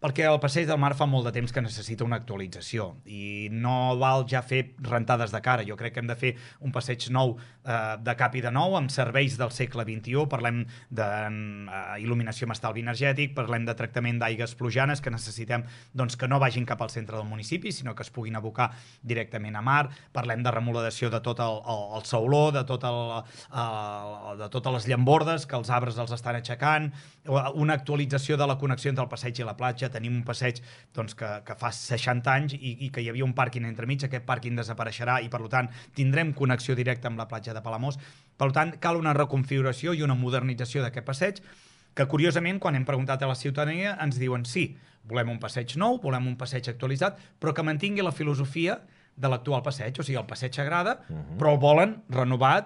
Perquè el Passeig del Mar fa molt de temps que necessita una actualització i no val ja fer rentades de cara. Jo crec que hem de fer un passeig nou de cap i de nou amb serveis del segle XXI. Parlem d'il·luminació amb estalvi energètic, parlem de tractament d'aigues plujanes que necessitem doncs, que no vagin cap al centre del municipi, sinó que es puguin abocar directament a mar. Parlem de remodelació de tot el sauló, de totes les llambordes que els arbres els estan aixecant, una actualització de la connexió entre el passeig i la platja. Tenim un passeig doncs, que fa 60 anys i que hi havia un pàrquing entremig. Aquest pàrquing desapareixerà i, per tant, tindrem connexió directa amb la platja de Palamós. Per tant, cal una reconfiguració i una modernització d'aquest passeig que, curiosament, quan hem preguntat a la ciutadania, ens diuen sí, volem un passeig nou, volem un passeig actualitzat, però que mantingui la filosofia de l'actual passeig. O sigui, el passeig agrada, però el volen renovat